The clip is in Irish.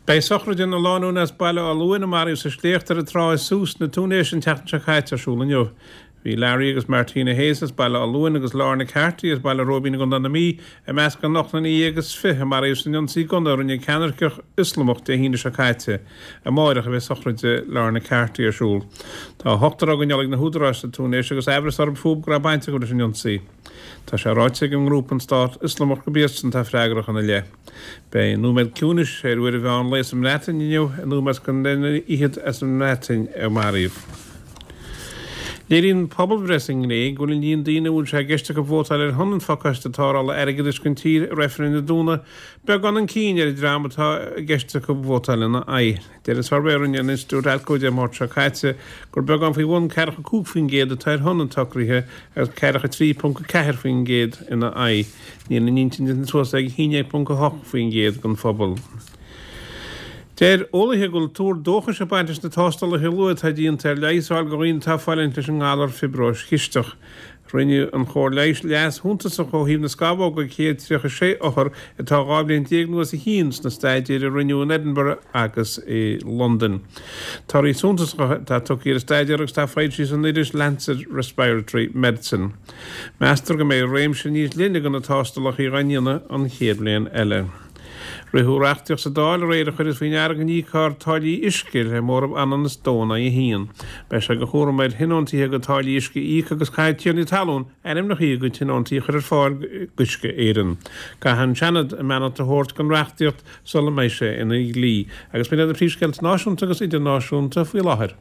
Beidh sochraid na lánúine as Baile Átha Luain a maraíodh sa sléacht ar an trá i Sousse na Túinéise an tseachtain seo caite ar siúl inniu. Bhí Larry agus Martina Hayes as Baile Átha Luain agus Lorna Carty as Baile Róibín i gContae na Mí i measc an ocht nduine dhéag is 20 a maraíodh san ionsaí gunna a rinne ceannairceach Ioslamach Dé hAoine seo caite. Amáireach a bheidh sochraid Lorna Carty ar siúl. Tá ochtar á gcoinneáil ag na húdaráis sa Túinéis agus aimhreas orthu fúthu go raibh baint acu leis an ionsaí. Tá sé ráite ag an ngrúpa an Stát Ioslamach gurb iadsan atá freagrach ina leith. Beidh nóiméad ciúnais ar uair an mheán lae sa mBreatain inniu in ómós don duine fhichead as an mBreatain a maraíodh. Léiríonn pobalbhreith sa nGréig go bhfuil an líon daoine a bhfuil sé i gceist acu vótáil ar shon an phacáiste tarrthála airgeadais don tír i reifreann Dé Domhnaigh beagán chun cinn ar an dream atá i gceist acu vótáil ina aghaidh. Deir an suirbhé a rinne an institiúid ALCO Dé Máirt seo caite gur beagán faoi bhun ceathracha 5% atá ar shon an tsocraithe agus ceathracha 3.4% ina aghaidh. Níl a n-intinn déanta suas ag 11.8% den phobal. Deir eolaithe go bhfuil tuar dóchais ag baint leis na tástálacha luatha atá déanta ar leigheas a fháil do dhaoine atá ag fulaingt leis an ngalar fiobróis chisteach. Rinne an chóir leighis leas shuntasach ó thaobh na scamhóg ag 136 othar atá 12 bhliain nó os a chionn sna staidéir a rinneadh in Edinburgh agus i Londain. Torthaí suntasacha atá tugtha ar an staidéar agus atá foilsithe san iris Lancet Respiratory Medicine. Meastar go mbeidh réimse níos leithne de na tástálacha á ndéanamh an chéad bhliain eile. Ritheadh reachtaíocht sa Dáil aréir a chuireas faoi ndeara go n-íocfar táillí uisce le móramh ionann is dó in aghaidh a haon. Beidh sé de chúram ar thionóntaithe a gcuid táillí uisce a íoc agus caithfidh tiarnaí talún ainmneacha a gcuid tionóntaí a chur ar fáil d'Uisce Éireann. Caithfidh an Seanad a mbeannacht a thabhairt don reachtaíocht sula mbeidh sé ina dhlí. Agus b'in iad na príomhscéalta náisiúnta agus idirnáisiúnta faoi láthair.